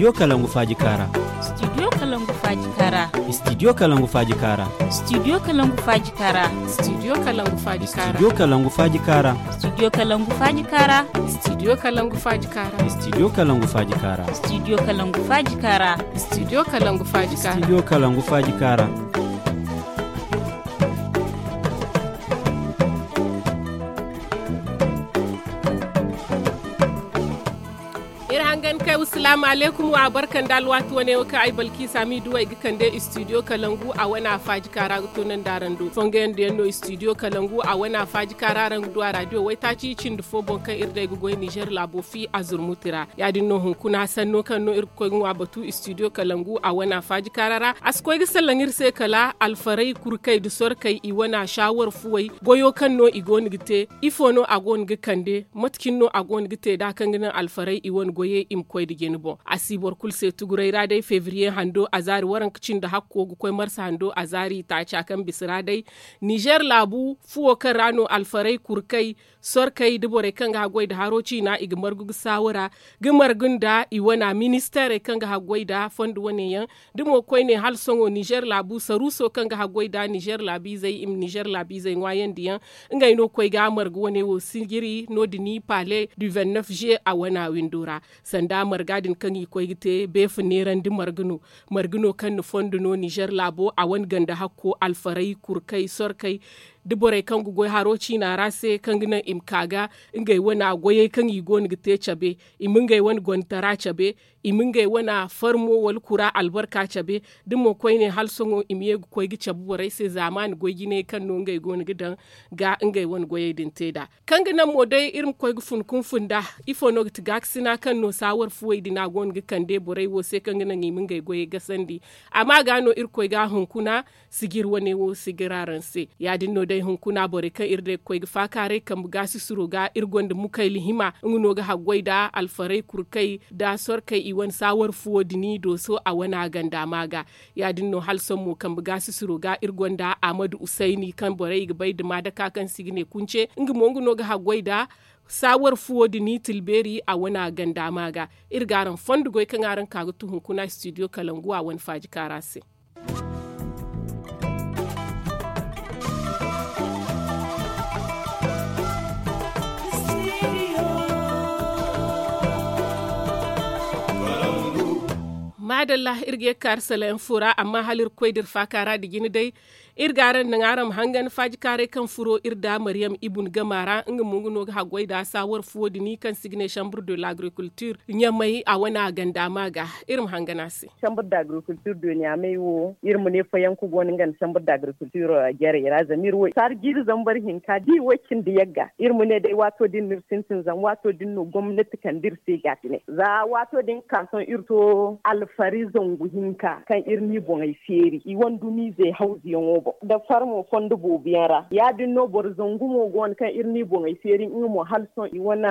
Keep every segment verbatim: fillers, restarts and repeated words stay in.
Studio Kalangu Faaji Kaara. Studio Kalangu Faaji Kaara. Studio Kalangu Faaji Kaara. Studio Kalangu Faaji Kaara. Studio Kalangu Faaji Kaara. Studio Kalangu Faaji Kaara. Studio Kalangu Faaji Kaara. Studio Kalangu Faaji Kaara. Studio Kalangu Faaji Kaara. Studio Kalangu Faaji Kaara. Studio Kalangu Faaji Kaara. Studio Kalangu Faaji Kaara. Iri hangan kay, wassalaamu alaykum wa barka nda alwaati wane wo kaŋ ay balkiisa m'i duw'ey ga kande studio kalangu a wane a faaji kaara ga toonandi araŋ do fongoyaŋ da yaŋ no studio kalangu a wane a faaji kaara araŋ ga du a raadiyo waytaaci cindi fo boŋ kaŋ iri day ga goy nizer laabo fi a zurmuti ra. Ya- din no hunkuna sanno kaŋ no iri ga koy ga ŋwa batu studio kalangu a wane a faaji kaara ra a si koy ga sallaŋ iri se kala alfarey kurkey nda sorkey i wane a saawar fuwey goyo kaŋ no i go no ga te. Ifo no a go no ga kande? Mate cine no a go no ga te da kaŋ ga naŋ alfarey i wane goyey i ma koy nda jine boŋ? A si boro kulu se tuguray ra day febriye hando a zaari waranka cindi hakko ga koy marsa hando a zaari taaca kaŋ bisa ra day. Nizer laabu fuwo kaŋ ra no alfarey kurkey sorkey nda borey kaŋ ga haggoy nda haro ciina i ga margu ga saawara ga margu nda i wana ministeerey kaŋ ga haggoy nda fondo wane yaŋ. Da mo koyne hala sohõ nizer laabu saruuso kaŋ ga haggoy nda nizer laabiizey i ma nizer laabiizey ŋwaayandi yaŋ. Ngey no koy ga marga wane wo sijiri no- din i paale du vingt-neuf juillet a wana windo ra. Sanda marga din kaŋ i koy ga te beefa neerandi marga no. Marga no kaŋ na fondo no nizer laabo a wane ganda hakko alfarey kurkey sorkey da borey kaŋ ga goy haro ciina ra se kaŋ ga naŋ i ma ka ga ngey wane goyey kaŋ i go no ga te cabe. I ma ngey wane gontara cabe. I ma ngey wane farmo wala kura albarka cabe. Da mo koyne hala sohõ i ma ye ga koy ga cabe borey se zaamaani goy jinay kaŋ no ngey go no ga daŋ ga ngey wane goyey din te nd'a. Kaŋ ga naŋ mo day iri ma koy ga fun kunfun nd'a. Ifo no ga ti gaakasina kaŋ no saawar fuwey din a go no ga kande borey wo se kaŋ ga naŋ i ma ngey goyey gasandi. Amma ga no iri koy ga hunkuna sijir wane wo sijir araŋ se. Ya- din no day hunkuna borey kaŋ iri day ga koy ga faakaaray kambe gaasisiro ga iri gonda mukayli hima nga no ga haggoy nda alfarey kurkey nda sorkey i wane saawar fuwo din i dooso a wane a ganda ma ga. Ya- din no hala sohõ mo kambe gaasisiro ga iri gonda ahmadu usayni kaŋ borey i ga bay nda maadaka kaŋ se i ga ne kunce nga mo nga no ga haggoy nda saawar fuwo din i tilbeeri a wane a ganda ma ga. Iri ga araŋ fondo goy kaŋ araŋ ka ga tu hunkuna studio kalangu a wane faaji kaara se. Maadalla iri ga ye ga kaari salayaŋ fo ra amma hala iri ga koy da iri faaka ra nda jine day. Iri ga araŋ naŋ araŋ ma hangan faajikaaray kaŋ furo iri nda mariyam ibun gama ra nga mo nga no ga haggoy nda saawar fuwo din kaŋ se i ga ne chambre de l'agriculture ɲamay a wane a ganda ma ga. Iri ma hangan a se. Chambre d'agriculture de ɲamay wo iri ma ne fayanka go no nga nda chambre d'agriculture jarey ra zama iri wo saara jiiri zambar hinka da i wo cindi yagga iri ma ne day waato din no iri sintin zama waato din no gomnati kande iri se gaatine za waato din ga ka sohõ iri to alfari zangu hinka kaŋ iri n'i boŋey feeri i wane dumiizey hawzuyaŋo boŋ nda farmo fondo boobo yaŋ ra ya- din no boro zangu mo go no kaŋ iri n'i boŋey feeri nga mo hala sohõ i wane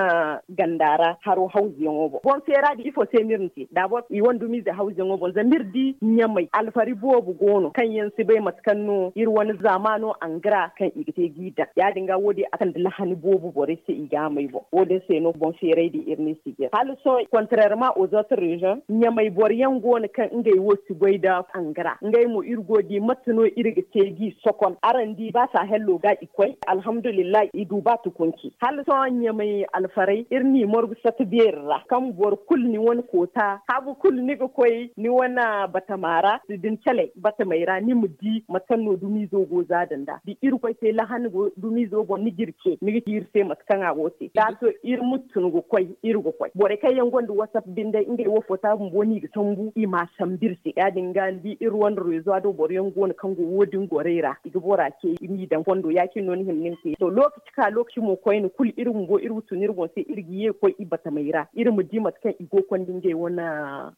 ganda ra haro hawzuyaŋo boŋ boŋ feera din ifo se no iri na te daabor i wane dumiize hawzuyaŋo boŋ zama iri di ɲamay alfari boobo go no kaŋ yaŋ si bay mate kaŋ no iri wane zaamaano angara kaŋ i ga te g'i daŋ ya- din ga wo- din a kande lahani boobo borey se i ga a may boŋ wo- din se no boŋ feeray din iri n'i si jare hala sohõ kontrerement aux autres region ɲamay boro yaŋ go no kaŋ ngey wo si goy nda angara ngey mo iri go ga di mate no iri ga te g'i sokon araŋ di ba saahello ga i koy alhamdulillahi i du ba tukunci hala sohõ ɲamay alfaray iri n'i margu sata beeri ra kaŋ boro kulu ni wane koota haabu kulu ni ga koy ni wane batama ra da ni calay batamey ra ni ma di mate kaŋ no dumiizo go za da nd'a da irkoy te lahani go dumiizo boŋ ni ga iri ce ni ga ci iri se mate kaŋ a go te da a to iri ma tun ga koy iri ga koy borey kaŋ yaŋ gonda whatsapp binde ngey wo foota bumbo no i ga sambu i m'a sambu iri se ya- din ga ni di iri wane rezo do boro yaŋ go no kaŋ go wo- din gorey ra i ga bora ce i m'i daŋ fondo ya- cine no ni hima ni ma te to lookaci ka lookaci mo koyne kulu iri bumbo iri ma tun iri boŋ se iri ga ye ga koy i batamey ra iri ma di mate kaŋ i go ga konda ngey wane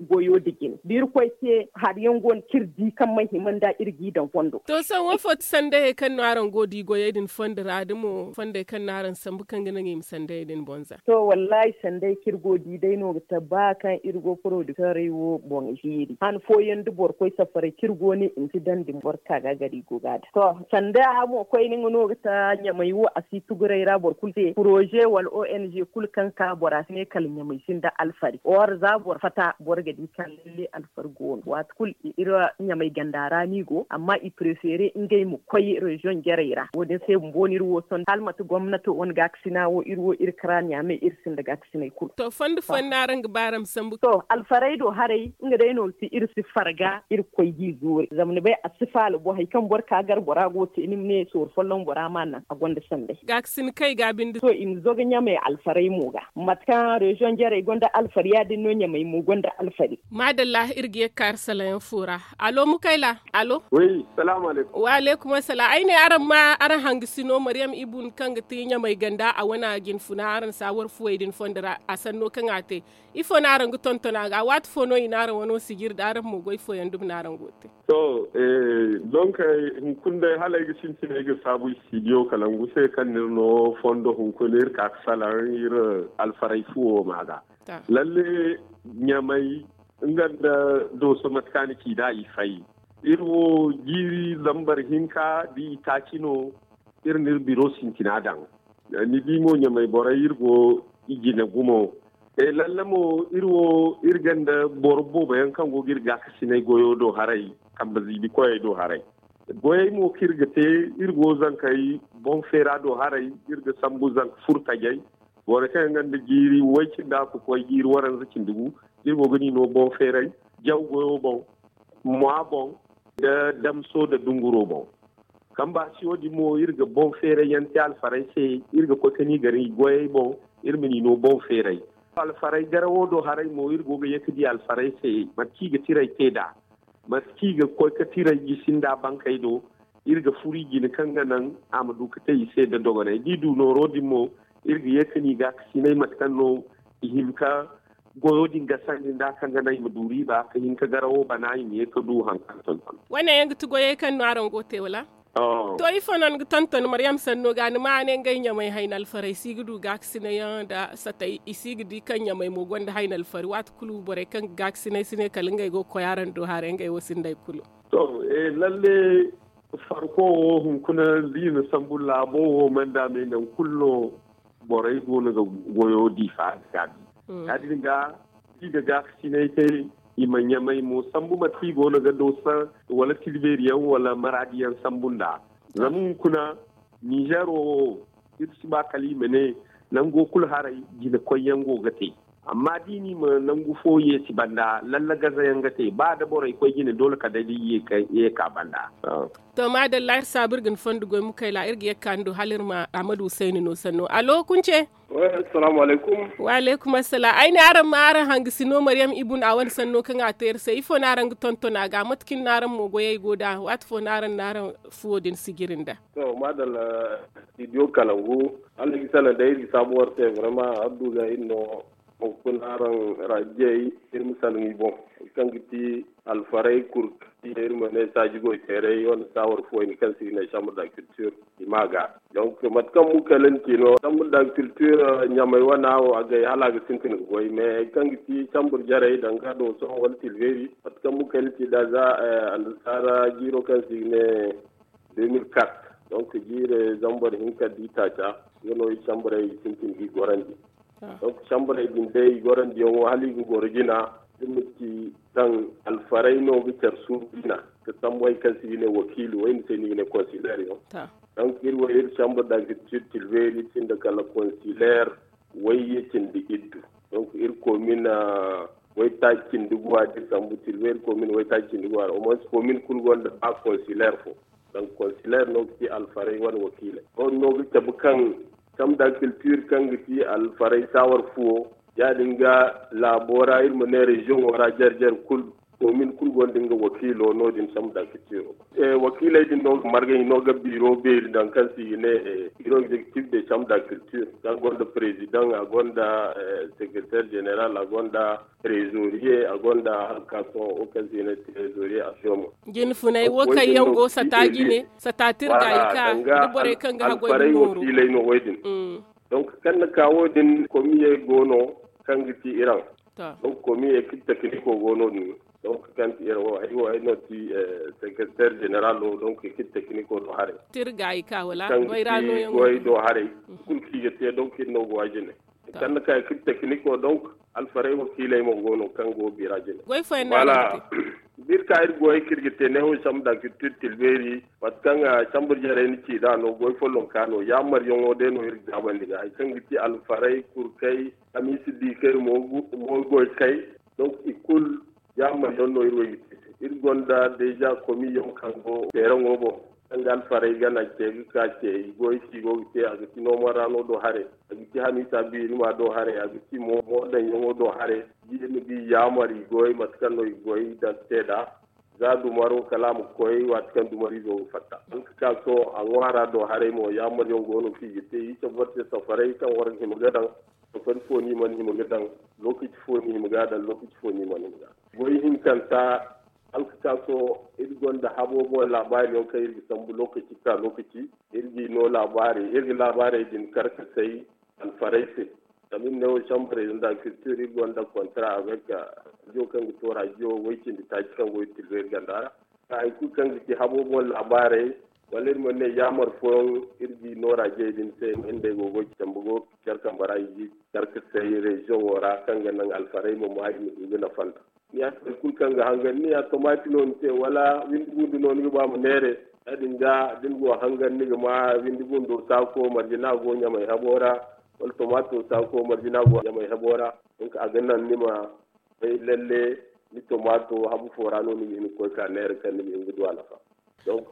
goyo nda jine da irkoy te hari yaŋ go no kaŋ iri di kaŋ mana hima nda iri g'i daŋ fondo. To sohõ wo fo ti sandayey kaŋ no araŋ go ga di goyey din fondo ra da mo fondey kaŋ no araŋ sambu kaŋ ga naŋ i ma sandayey din boŋ za? To wallaahi sanday kaŋ iri go ga di day no ga te ba kaŋ iri go porodikteerey wo boŋ. Hiiri han fooyaŋ da boro koy safaray kaŋ iri go ne i ma si daŋ din boro ka ga gari go ga daŋ to sanda mo koyne nga no ga ta ɲamay wo a si tuguray ra boro kulu se poroze wala o n g kulu kaŋ ka bora si ne kala ɲamay sinda alfari or za boro fata boro ga di kaŋ lalle alfari go no waati kulu iri ɲamay ganda ra no i go amma i prefere ngey ma koy reziyoŋ jarey ra wo- din se bumbo no iri wo sohõ hala manti gomnato wane gaakasina wo iri wo iri kara ɲaamay iri sinda gaakasinay kulu. To fondo fooyaŋ no araŋ ga ba araŋ ma sambu to alfaray do haray nga day no ga ti iri si farga iri ga koy g'i zoori zama ni bay a si faala bo hari kaŋ boro ka gar bora go ga te ni ma ne sooru folloŋ bora ma naŋ a gonda sanday. Gaakasin kaŋ i ga a binde to i ma zoga ɲamay alfaray mo ga mate kaŋ reziyoŋ jarey gonda alfari ya- din no ɲamay mo gonda alfari. Maadalla iri ga ye ga kaari salayaŋ fo ra. Allo mukayla? Allo. Wi salaamu alaykum. Wa alaykum assalaam ay ne araŋ ma araŋ hangasino mariyam ibun kaŋ ga ti ɲamay ganda a wane jinfuna araŋ saawar fuwey din fondo ra a sanno kaŋ a te. Ifo no araŋ ga tonton a ga waati fo no i na araŋ wano sijiri da araŋ mo goy fooyaŋ dumi no araŋ go ga te. To, donk hunkuna day hala ay ga sintin ay ga saabu istidiyo kalangu se kaŋ no iri no fondo hunkuna iri ka ga salaŋ iri alfaray fuwo ma ga. Lalle ɲamay nga nda dooso mate kaŋ a na ci nd'a i fay. Iri wo jiiri zambar hinka da i taaci no. Iri na iri biro sintina daŋ. Ni di mo ɲamay borey iri go i jine gumo. Lalle mo iri wo iri gonda boro boobo yaŋ kaŋ go ga iri gaakasinay goyo do haray kambe ziibi koyey do haray. Goyey mo kaŋ iri ga te iri go zankey boŋ feera do haray. Iri ga sambu zanka furtajey. Borey kaŋ yaŋ gonda jiiri way cindi a ga koy jiiri waranza cindi gu. Iri go ga ni no boŋ feeray jaw goyo boŋ, mwa boŋ, nda damso nda dunguro boŋ. Kambe a si wo- din mo iri ga boŋ feeray yaŋ te alfarey se. Iri ga koy ka ni gar i goyey boŋ. Iri ma ni no boŋ feeray. Alfarey garawo do haray mo iri go ga ye ka di alfarey se mate kaŋ i ga tiray te nd'a. Mate kaŋ i ga koy ka tiray jisi nda bankey do. Iri ga furu i jine kaŋ ga naŋ a ma du ka te i se nda dogonay da i du nooro din mo. Iri ga ye ka ni gaakasinay mate kaŋ no i hin ka goyo din gasandi nd'a kaŋ ga naŋ i ma du riiba ka hin ka garawo bana i ma ye ka du hari kaŋ tonton. Wane yaŋ ga ti goyey kaŋ no araŋ go ga te wala? To ifo no ni ga tonton maryam sanno ga ni ma a ne ngey ɲamay hayna alfarey si ga du gaakasinay yaŋ nda satay i si ga di kaŋ ɲamay mo gonda hayna alfari waati kulu borey kaŋ ga gaakasinay si ne kala ngey go ga koy araŋ do haray ngey wo sinda hari kulu. To lalle farko wo hunkuna da i na sambu laabo wo manda me nangu kulu no borey go no ga goyo diifa ga gaabi. Ya- din ga i ga gaakasinay te i ma ɲamay mo sambu mate kaŋ i go no ga doosa wala tilbeeri yaŋ wala maraadi yaŋ sambu nd'a. Zama hunkuna ninzeero wo iri si ba kala i ma ne nango kulu haray jine koyyaŋ go ga te. Amma da i na i ma nangu fo yeesi banda lalla gazayaŋ ga te ba da borey koy jine doole kala day da i ye ka banda. To maadalla iri saabu iri ga ni fondo goy mukayla iri ga ye ga ka ni do hala iri ma ahmadu husayni no sanno allo kunce. Assalaamu alaykum. Wa alaykum assalam ay ne araŋ ma araŋ hangasino maryam ibun a wane sanno kaŋ a te iri se ifo no araŋ ga tonton a ga mate kaŋ no araŋ mo goyey go nd'a waati fo no araŋ na araŋ fuwo din sijiri nda. To maadalla studio kalangu hala ay ga salaŋ day iri ga saabu war se vraiment adduza iri no. Hunkuna araŋ raajiyey iri ma salaŋ i boŋ hari kaŋ ga ti alfarey kulu kaŋ iri ma ne saaji goy teerey wane saawar fo wayne kaŋ se i ga ne chambre d'agriculture i ma ga. Donc mate kaŋ mukayla na ci no chambre d'agriculture ɲamay wana wo agay hala a ga sintin ga goy mais hari kaŋ ga ti chambre jarey danga do sohõ wala tilbeeri mate kaŋ mukayla na ci nd'a za annasaara jiiro kaŋ se i ga ne deux mille quatre. Donc jiire zambar hinka da i taaca nga no i chambrey sintin ga i gorandi. Donc chambrey din day i gorandiyaŋo hala i ga goro jina iri ma ci kaŋ alfarey no ga care suuru jina ka sambu hari kaŋ se i ga ne wakiili wayne se no i ga ne konsileer yaŋ. Donc iri wo iri chambre d'agriculture tilbeeri sinda kala konsileer wayye cindi iddu. Donc iri komin waytaaci cindi guwa da iri sambu tilbeeri komin waytaaci cindi guwa ra au moins komin kulu gonda ba konsileer fo. Donc konsileer no ga ti alfarey wane wakiiley wo- din no ga cabe kaŋ chambre d'agriculture kaŋ ga ti alfarey saawar fuwo ya- din ga laabo ra iri ma ne reziyoŋo ra jare jare kulu komin kulu gonda nga wakiilo no- din chambre d'agriculture. Wakiiley din no ga marga i no ga biiro beeri daŋ kaŋ se i ga ne biiro executif de chambre d'agriculture kaŋ gonda president a gonda secretaire général a gonda trésorier a gonda hala ka sohõ wo kaŋ se i ne trésorier a sohõ mo. Jinfuney wo kaŋ yaŋ go sata jine sata tirga i ka da borey kaŋ ga haggoy ga nooru. Wakiiley no wo- din. Donc kaŋ na ka wo- din komiyey go no kaŋ ga ti iraŋ. Donc komiyey kulu tekiniko go no- din. Donc, kaŋ ti iri wo ay wo ay no ti secrétaire général o, donc i kiti technico do haray. Tirga i ka wala goy ra no yaŋ goy do haray. Kulu kaŋ i ga te, donc iri no go a jine. Kaŋ na ka i kiti technico, donc alfaray wakiiley mo go no kaŋ go bira jine. Goy fooyaŋ no a ga te. Biri ka iri goy kaŋ iri ga te ne wo chambre d'agriculture tilbeeri, mate kaŋ chambre jarey ni ci da no goy follonka no yaamar yaŋo day no iri ga gaabandi ga hari kaŋ ga ti alfaray, kurkay, hamiisi diikay, moogoy kay. Donc i kulu yaamar yaŋ no iri wo i ga te. Iri gonda deja komi yaŋ kaŋ go teeraŋo boŋ, kaŋ ga alfaray gana ce ga ka ce i goy kaŋ i go ga te a ga ti noomaraano do haray, a ga ti hamiisa biirima do haray, a ga ti mo moodaŋ yaŋo do haray. Iri ma di yaamar i goy mate kaŋ no i goy da te da za dumaro kala a ma koy waati kaŋ dumariizo ga fatta. Hala ka ka sohõ a ŋwaara do haray mo yaamar yaŋ go no kaŋ i ga te i cabe borte safaray kaŋ war ga hima ga daŋ. Safari fo no i mana hima ga daŋ, lookaci fo no i hima ga daŋ, lookaci fo no i mana hima ga daŋ. Goy hinkanta, hala ka ka sohõ iri gonda habo boŋ laabaari yaŋ kaŋ iri ga sambu lookaci ka lookaci. Iri ga i no laabaari iri ga laabaarey din karkasay alfaray se. Zama iri ne wo chambre d'agriculture iri gonda kontra avec radio kaŋ ga to radio way cindi taaci kaŋ go iri tilbe iri ganda ra. Hari kulu kaŋ ga ci habo boŋ laabaarey, wala iri mana ne yaamar fooyaŋ iri ga i no radio din se ngey go ga care kambe ra i ga care ga say reziyoŋo ra kaŋ ga naŋ alfaray ma maa i ma du ga nafa nd'a. Ni ya hari kulu kaŋ ga hangan ni ya tomaati no ni te wala windi gundu no ni ga ba ma neere. Ya- din ga da ni go ga hangan ni ga ma windi gundo saako marje no a go ɲamay habo ra, wala tomaato saako marje no a go ɲamay habo ra. Donc a ga naŋ ni ma bay lalle ni tomaato habu fo ra no ni ga hin ga koy ka neera kaŋ ni ma hin ga du a nafa. Donc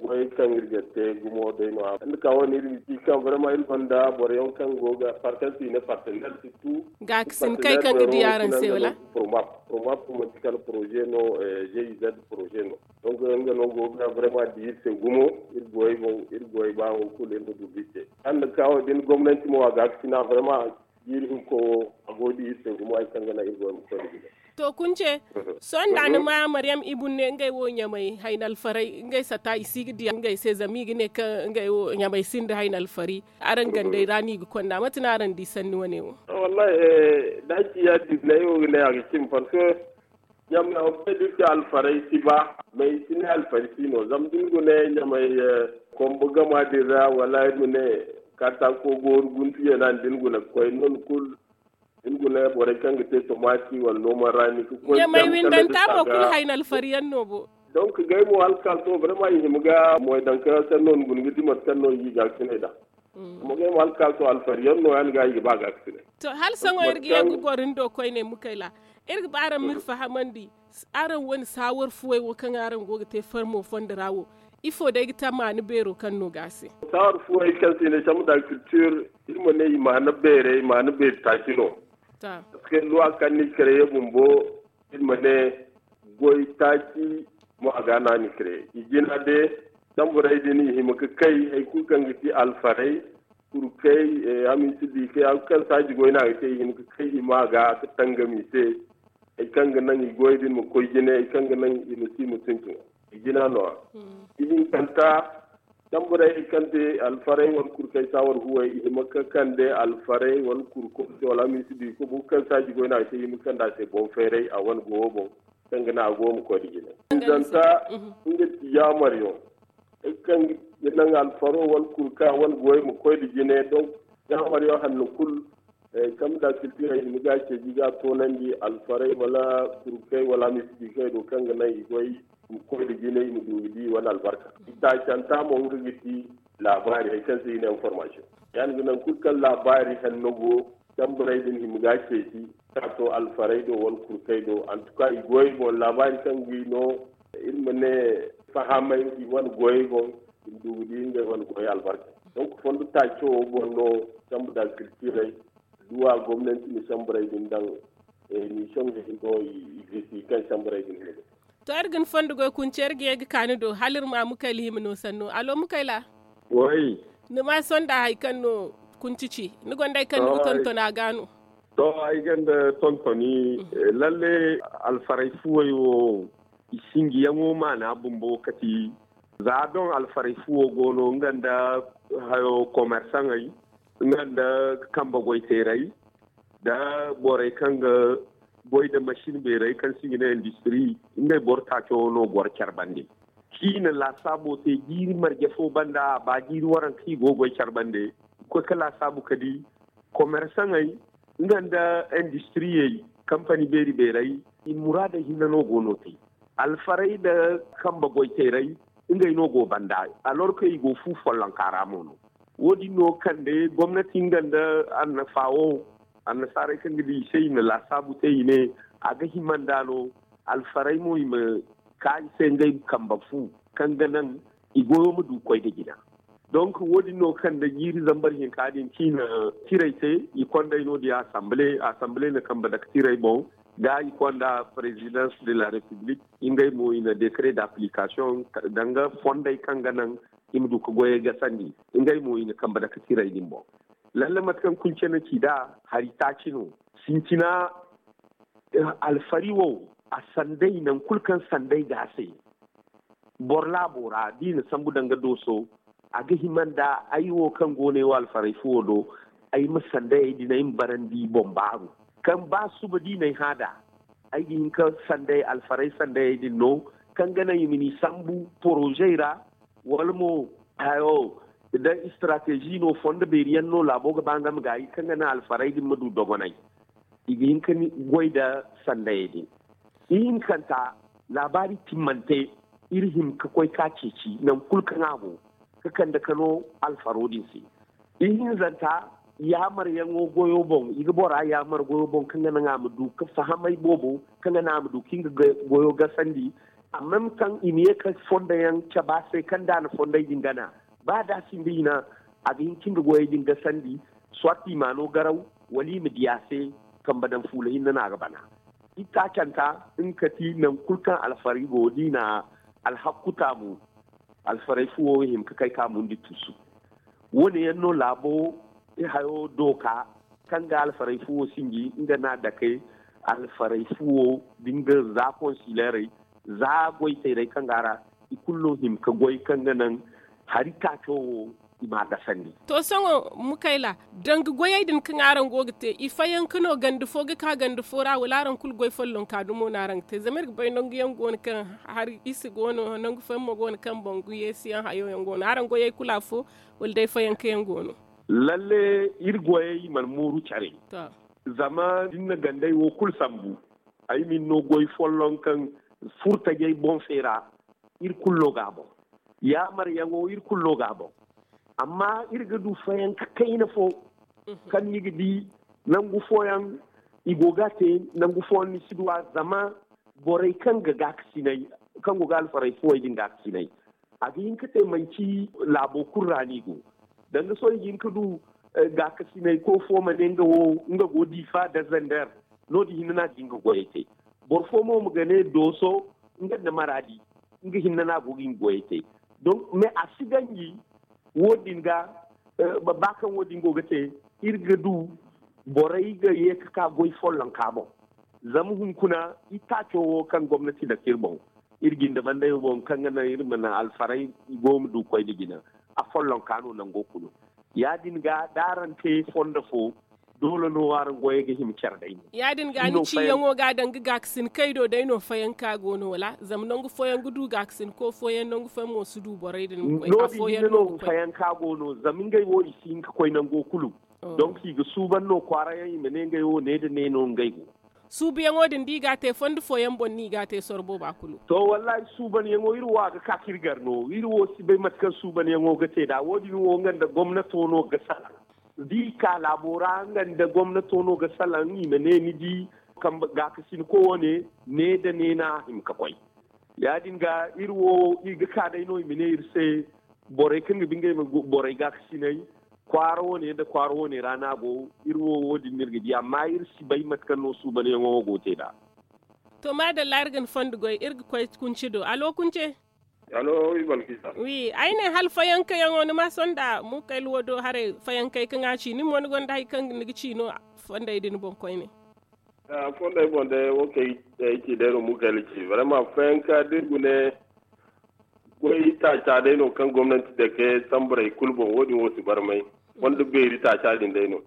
goy kaŋ iri ga te gumo day no a ga ka wane iri ga ci kaŋ vraiment iri gonda boro yaŋ kaŋ go ga partenaire surtout gaakasin kay kaŋ ga di araŋ se wala? Promap promap manti kala projet no, gez projet no. Donc nga no go ga vraiment di iri se gumo. Iri goy boŋ iri goy ba wo kulu iri ma du ga iri te. Hala ni ga ka wo- din gomnanti mo a gaakasina vraiment jiiri hinko wo a go ga di iri se gumo hari kaŋ ga naŋ iri goy ma koy nda gida. To kunce, sohõ nda ni ma maryam ibun ne ngey wo ɲamay hayna alfaray ngey sata i si ga diya ngey se zama i ga ne kaŋ ngey wo ɲamay sinda hayna alfari. Araŋ gandey ra no i ga konda mate no araŋ di sanni wane wo? Wallahi, da ci ya- din no ay wo ga ne a ga cimi parce que ɲamay wo kay da iri te alfaray si ba. Mais i si ne alfari si no zama da ni gune ɲamay kombo gama din ra wala iri ma ne katako gooru guntu yeena din gune ga koy non kulu. Din gune borey kaŋ ga te tomaati wala nooma ra ni ga koy ɲamay windanta mo kulu hayna alfari yaŋ no bo. Donc gay mo alkaaso vraiment i hima ga moy daŋ ka sanno ni guna ga di mate kaŋ no i ga ga sinay da. Amma gay mo alkaaso alfari yaŋ no ya ni ga i ga ba ga ga sinay. To hala saŋo iri ga ye ga goro ni do koyne mukayla. Iri ga ba araŋ ma iri fahamandi araŋ wane saawar fuwey wo kaŋ araŋ go ga te farmo fondo ra wo, ifo day ga ta maana beero kaŋ no ga a se? Saawar fuwey kaŋ se i ne chambre d'agriculture, iri ma ne i maana beerey maana beeri taaci no. Parce que luwa kaŋ ni kare ye bumbo, iri ma ne goy taaci mo a ga no a ni kare i jina de. Tamburey din i hima ga kay hari kulu kaŋ ga ti alfarey, kurkey, hamiisi diikey hari kulu kaŋ saaji goy no a ga te i hima ga kay i ma ga ka tangam i se. Hari kaŋ ga naŋ i goy din ma koy jine hari kaŋ ga naŋ i ma si mutunci. I jina no a ihinkanta. Tamburey hari kaŋ te alfarey wala kurkey saawar huwey i hima ga kande alfarey wala kurko se wala hamiisi diiko boro kaŋ saaji goy no a ga te i hima ga kande a se boŋ feeray a wane gowo boŋ. Kaŋ ga naŋ a go ma koy nda jine. Zanta nga ti yaamaryo. Hari kaŋ ga naŋ alfaro wala kurka wala goy ma koy nda jine donc yaamaryo hanno kulu. Kambe da siltirey i ma ga ceeji ga toonandi alfarey wala kurkey wala hamiisi diikey do kaŋ ga naŋ i goy i ma koy nda jine i ma du ga di i wane albarka. I taacanta mo nga ga ti laabaari hari kaŋ se i ne information. Ya- din ga naŋ kulu kaŋ laabaari hanno go. Tamburey din hima ga ceeci ka to alfarey do wala kurkey do antuka i goyey boŋ laabaari kaŋ ga i no. Iri ma ne fahamay i wane goyey boŋ i ma du ga di ngey wane goyey albarka. Donc fondo taaco wo boŋ no. Chambre d'agriculturey duwa gomnanti ma chambrey din daŋ. Ni soŋ no i gisi kaŋ chambrey din hima ga. To iri ga ni fondo goy kunce iri ga ye ga ka ni do hala iri ma mukayla hima no sanno alo mukayla. Ni ma sonda hari kaŋ no kunci ci ni gonda hari kaŋ ni ga tonton a ga no? To ay gonda tontoni. Lalle alfarey fuwey wo i sinjiyaŋo maana bumbo kati. Za doŋ alfarey fuwo go no nga nda hayo komersaŋey nga nda kambe goyteerey nda borey kaŋ ga Goy da masin beeray kaŋ se i ga ne industri, ngey boro taaco no goro care bande. Ciina laasaabo te jiiri marje fo banda, a ba jiiri waranka i go goy care bande. Koy ka laasaabu ka di komersaŋey nga nda industriyey, kampani beeri beeray, i muraadey hinne no go no te. Alfarey nda kambe goyteerey, ngey no go banda, alorka i go fu follonka ra mo no. Wo- din no kande gomnati nga nda annafa wo, annasaarey kaŋ ga di i se i na laasaabu te i ne, a ga hima nda no alfarey mo i ma ka i se ngey kambe fu, kaŋ ga naŋ i goyo ma du koy nda jina. Donc wo- din no kaŋ nda jiiri zambar hinka din ciina tirey te, i kondey no- din assemblée assemblée na kambe dake tirey boŋ, ga i konda présidence de la république, ngey mo i na décret d'application, danga fondey kaŋ ga naŋ i ma du ka goyey gasandi. Ngey mo i na kambe dake tirey din boŋ. Lalle mate kaŋ kunce na ci nd'a, hari taaci no. Sintina alfari wo, a sanday, nangu kulu kaŋ sanday ga a se, boro laabo ra da i na sambu danga dooso, a ga hima nda ay wo kaŋ go no ay wo alfaray fuwo do, ay ma sanday ay din ay ma barandi boŋ baaru, kaŋ ba suba da i na ay hã nd'a, ay ga hin ka sanday alfaray sanday ay din no, kaŋ ga naŋ i ma ni sambu porozey ra, wala mo hayo, da istarateezi no, fondo beeri yaŋ no laabo ga ba nga ma gaayi kaŋ ga naŋ alfaray din ma du dogonay. I ga hin ka goy nda sandayey din. Ihinkanta, laabaari timmante, iri hima ka koy ka ceeci nangu kulu kaŋ a go, ka kande ka no alfaro din se. Ihinzanta, yaamaryaŋo goyo boŋ, i ga bora yaamar goyo boŋ kaŋ ga naŋ a ma du ka fahamay boobo, kaŋ ga naŋ a ma du ka nga goyo gasandi. Amma kaŋ i ma ye ka fondo yaŋ cabe a se kaŋ da a na fondey din gana, ba da a sinda hina, a ga hin ka nga goyey din gasandi, soit i ma no garaw, wala i ma di a se, kambe daŋ fuula hinne no a ga bana. Itaacanta, nga ka ti nangu kulu kaŋ alfaray go da i na alhakku taamu, alfaray fuwo hima ka kay ka mundi tuusu. Wo- ne yaŋ no laabo hayo dooka, kaŋ ga alfaray fuwo sinji nga no a dake alfaray fuwo da nga za konsileerey, za goyteerey kaŋ go a ra, i kulu no hima ka goy kaŋ ga naŋ hari taaco wo i ma a gasandi. To, sohõ, Mukayla, danga goyey din kaŋ araŋ go ga te, i fayanka no ganda fo ga ka ganda fo ra, wala araŋ kulu goy follonka dumo no araŋ ga te? Zama iri ga bay nangu yaŋ go no kaŋ hari isi go no, nangu fo yaŋ mo go no kaŋ bangu yeesi yaŋ hayo yaŋ go no. Araŋ goyey kulu afo, wala day fayanka yaŋ go no? Lalle, iri goyey mana mooru care. Zama da ni na gandey wo kulu sambu, ay ma ni no goy folloŋ kaŋ furtajey boŋ feera, iri kulu no ga a boŋ. Yaamaryaŋo, iri kulu no ga a boŋ. Amma iri ga du fayanka kayna fo, kaŋ ni ga di nangu fooyaŋ i go ga a te, nangu fooyaŋ ni si du a, zama borey kaŋ ga gaakasinay, kaŋ go ga alfaray fuwey din gaakasinay, a ga hin ka te manci laabo kulu ra no i go. Danga sohõ i ga hin ka du gaakasinay ko fo ma ne nga wo, nga go Difa da Zander, no- din hinne no a ga hin ga goyey te. Boro fo mo ma ga ne Dooso, nga nda Maraadi, nga hinne no a go ga hin ga goyey te. Donc, mais a si ganji wo- din ga, ba kaŋ wo- din go ga te, iri ga du borey ga ye ka ka goy follonka boŋ. Zama hunkuna, itaaco wo kaŋ gomnati dake iri boŋ, iri jinde bandey wo boŋ, kaŋ ga naŋ iri mana alfaray i go ma du koy nda jina, a follonka no nango kulu. Ya-din ga, da araŋ te fondo fo, doole no araŋ goyey ga hima care day no. Ya-din ga, ni ciyaŋo ga danga gaakasin kay do day no fayanka go no, wala? Zama nangu fooyaŋ ga du gaakasinko fooyaŋ, nangu fooyaŋ mo si du borey din ma koy. No- din hinne no fayanka go no, zama ngey wo i si hin ka koy nango kulu. Donc, i ga suuban no kwaara yaŋ, i ma ne ngey wo ne da ne no ngey go. Suubuyaŋo din da i ga a te fondo fooyaŋ boŋ no i ga a te sorro booba kulu. To, wallahi, suubanyaŋo iri wo a ga ka ka iri gar no. Iri wo si bay mate kaŋ suubanyaŋo ga te nd'a. Wo- din wo nga nda gomnato no ga salaŋ. Da i ka laabo ra, nga nda gomnato no ga salaŋ, i ma ne ni di, kambe gaakasinko wane, ne da ne no a hima ka koy. Ya-din ga, iri wo, i ga ka day no i ma ne iri se, borey kaŋ ga ba ngey ma borey gaakasinay, kwaara wane nda kwaara wane ra no a go. Iri wo, wo- din no iri ga di, amma iri si bay mate kaŋ no suubanyaŋo wo go ga te nd'a. To, maadalla, iri ga ni fondo goy, iri ga koy Kunce do. Alo, Kunce? Alo, wi Balkisa. Wi, ay ne hala fayankayaŋo, ni ma sonda Mukayla wo do haray, fayankey kaŋ a ci, ni mo ni gonda hari kaŋ ni ga ci no fondey din boŋ koyne? Ah, fondey boŋ day, wo kaŋ ay ci day no Mukayla ci. Vraiment, fayanka da iri gune goy taaca day no kaŋ gomnanti dake samburey kulu boŋ, wo- din wo si barmay. Fondo beeri taaca din day no.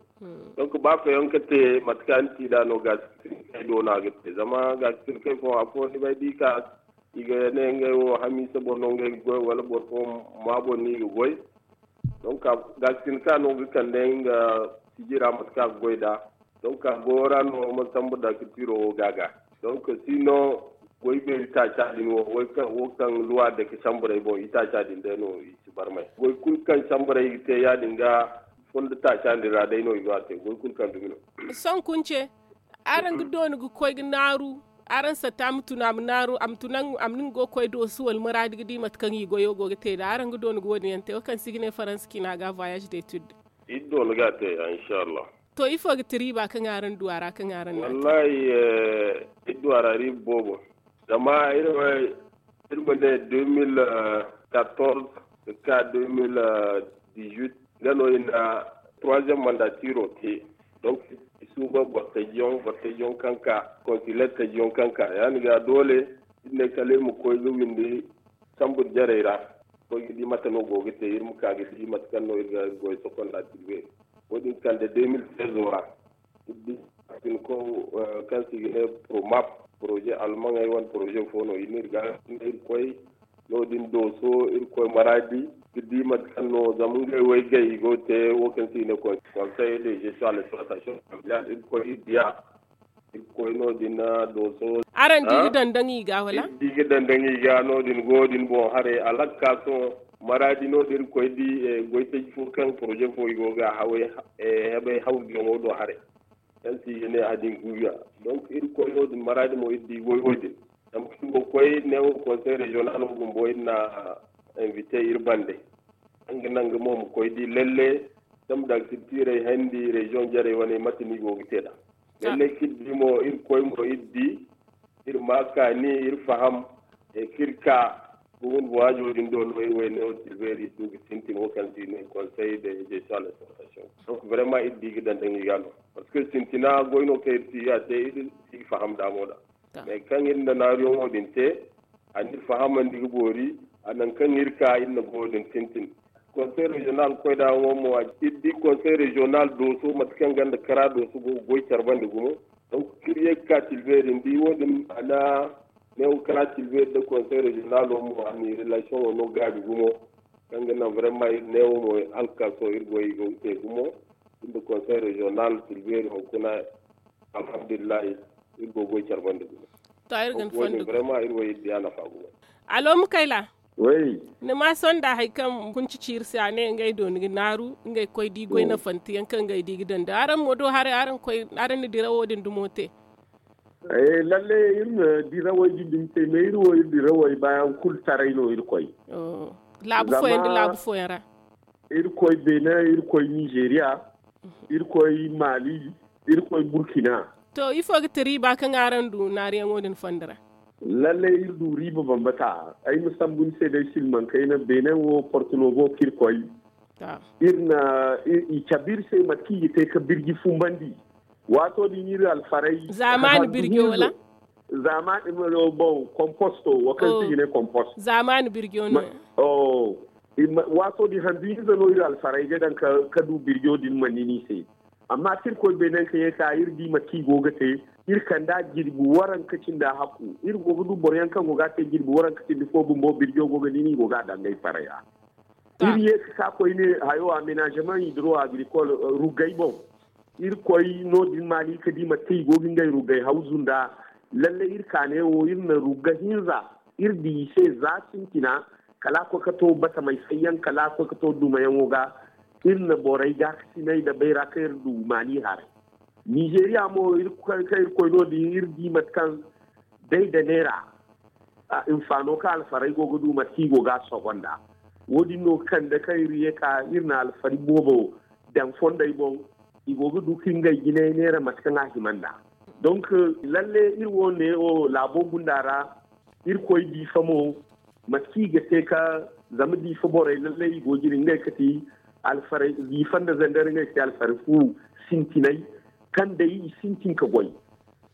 Donc ba feeyaŋ ka te mate kaŋ ni ti da no gaasi kay do no a ga te zama gaasi kay fo afo ni bay di ka i ga ne ngey wo hamiisa boro no ngey ga goy wala boro fo ma boro no i ga goy. Donc gaasi ka no ga kande nga sijira mate kaŋ a ga goy da. Donc a goyo ra no man sambu da ka tiro wo gaaga. Donc si no goy beeri taaca din wo wo kaŋ luwa da ka samburay boŋ i taaca din day no i si barmay goy kulu kaŋ samburay i ga te ya- din ga fondo taaca din ra day no i go a te goy kulu kaŋ dumi no. Sohõ kunce araŋ ga dooni ga koy ga naaru araŋ satta a ma tun a ma naaru a ma tun a ma nin go ga koy doosu wala maraadi ga di mate kaŋ i goyo go ga te da araŋ ga dooni ga wo- din yaŋ te wo kaŋ se i ga ne faransa ciina ga voyage d'étude. Iri dooni ga a te ya inshallah. To ifo ga ti riiba kaŋ araŋ du a ra kaŋ araŋ na a te? Wallahi iri du a ra riiba boobo. Zama iri ma ne deux mille quatorze ga ka deux mille dix-huit nga no i na troisième mandatiro te. Donc i suuba bortajiyaŋ bortajiyaŋ kaŋ ka consuler tajiyaŋ kaŋ ka ya- din ga doole iri ne kala iri ma koy ga windi sambu jarey ra. Koy ga di mate no go ga te iri ma ka ga di mate kaŋ no iri ga goy sokonda tilbe. Wo- din kande deux mille seize ra iri di sinko kaŋ se i ga ne promap projet almaŋey wane projet fo no i ne iri ga iri koy no- din dooso iri koy maraadi ga di mate kaŋ no zama ngey waygay i go ga te wo kaŋ se i ne conseil de gestion à l'exploitation familiale iri koy iri diya. Iri koy no- din dooso. Araŋ di ga dandaŋ i ga wala? Iri di ga dandaŋ i ga no- din go- din boŋ haray alakka sohõ maraadi no- din iri koy di goytaji fo kaŋ projet fo i go ga a haway hebay hawrujaŋo do haray. Kaŋ se i ga ne a din guuya. Donc iri koy no- din maraadi mo iri di goy wo- din. Zama kaŋ go koy neewo conseil régional wo bumbo iri na invite iri bande. Nga naŋ ga mo ma koy di lalle zama da ga ti tiirey handi région jarey wane mate no i go ga te nd'a. Lalle kaŋ iri di mo iri koy mo iri di iri ma kaani iri faham. Kaŋ iri ka gumo waajo din do no iri wayne wo tilbeeri iri du ga sintin wo kaŋ se i ne conseil de gestion à l'exploitation. Donc vraiment iri di ga dandaŋ i ga no parce que sintina goy no kaŋ iri si ga te iri si ga faham nd'a mo nd'a. Mais kaŋ iri na naaruyaŋo din te a na iri fahamandi ga boori. A naŋ kaŋ iri ka iri na goyo din tintin. Conseil régional koy da yaŋo mo iri di conseil régional dooso mate kaŋ ganda kara dooso go ga goy care bande gumo. Donc iri ye ga ka tilbeeri ni di wo- din a na neewo kara tilbeeri nda conseil régional wo mo a na i relation wo no gaabi gumo. Kaŋ ga naŋ vraiment iri neewo mo hala ga ka sohõ iri goy i go ga te gumo. Iri nda conseil régional tilbeeri hunkuna alhamdulillahi. Iri go ga goy care bande gumo. To iri ga ni fondo. Vraiment iri wo iri di a nafa gumo. Alo mukayla. Ni ma sonda hari kaŋ kunci ci iri se a ne ngey do ni ga naaru ngey koy di goy nafante yaŋ kaŋ ngey di ga daŋ da araŋ mo do haray araŋ na dirawo din dumo te? Lalle iri na dirawey din dumi te mais iri wo iri dirawey baayaŋ kulu taray no iri koy. Laabu fooyaŋ nda laabu fooyaŋ ra. Iri koy benin, iri koy nizeeriya, iri koy mali, iri koy burkina. To ifo ga ti riiba kaŋ araŋ du naaruyaŋo din fondo ra? Lalle iri du riiba bambata. Ay ma sambu ni se day silmaŋ kayna benin wo porto no go kaŋ iri koy. Iri na i cabe iri se mate kaŋ i ga te ka birji fumbandi. Waato din iri alfaray zaamaani birjo wala? Zaamaani, bon komposto wo kaŋ se i ga ne komposto. Zaamaani birjo no. Waato din handu hinza no iri alfaray ga daŋ ka du birjo din ma nin i se. Amma kaŋ iri koy benin ka ye ka iri di mate kaŋ i go ga te. Iri kand'a jirbi waranka cindi a hakku iri go ga du boro yaŋ kaŋ go ga a te jirbi waranka cindi fo bumbo birjo go ga nin i go ga a daŋ ngey faraya. Iri ye ka ka koyne hayo aménagement hydro agricole ruggay boŋ. Iri koy no- din maali ka di mate kaŋ i go ga ngey ruggay hawzu nd'a. Lalle iri ka neewo iri na rugga hinza iri di i se za sintina. Kala a koy ka to batamey sayyaŋ kala a koy ka to dumayaŋo ga. Iri na borey gaakasinay nda bayra kaŋ iri du maali haray. Nizeeriya mo kaŋ iri koy no- din iri di mate kaŋ day nda neera. Hinfaano kaŋ alfarey go ga du mate kaŋ i go ga a sogo nd'a. Wo- din no ga kande kaŋ iri ye ka iri na alfari boobo daŋ fondey boŋ. I go ga du ka ngey jinay neera mate kaŋ a hima nd'a. Donc lalle iri wo neewo laabo gunda ra. Iri koy diifa mo mate kaŋ i ga te ka zama diifa borey lallay i go jine ngey ka ti alfarey diifa nda zandar ngey ga te alfarey fu sintinay. Kaŋ day i sintin ka goy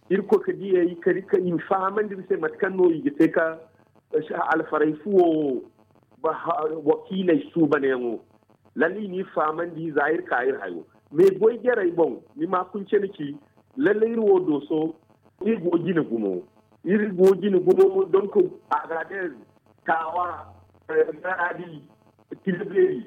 iri koy ka diyey ka i ma fahamandi iri se mate kaŋ no i ga te ka alfarey fuwo wakiiley suubanyaŋo. Lallay i n'i fahamandi za iri ka iri hayo. Mais goy jarey boŋ, ni ma kunce ni ci, lalle iri wo dooso, iri go jine gumo. Iri go jine gumo, donc, agadez, tawa, garadi, tilbeeri,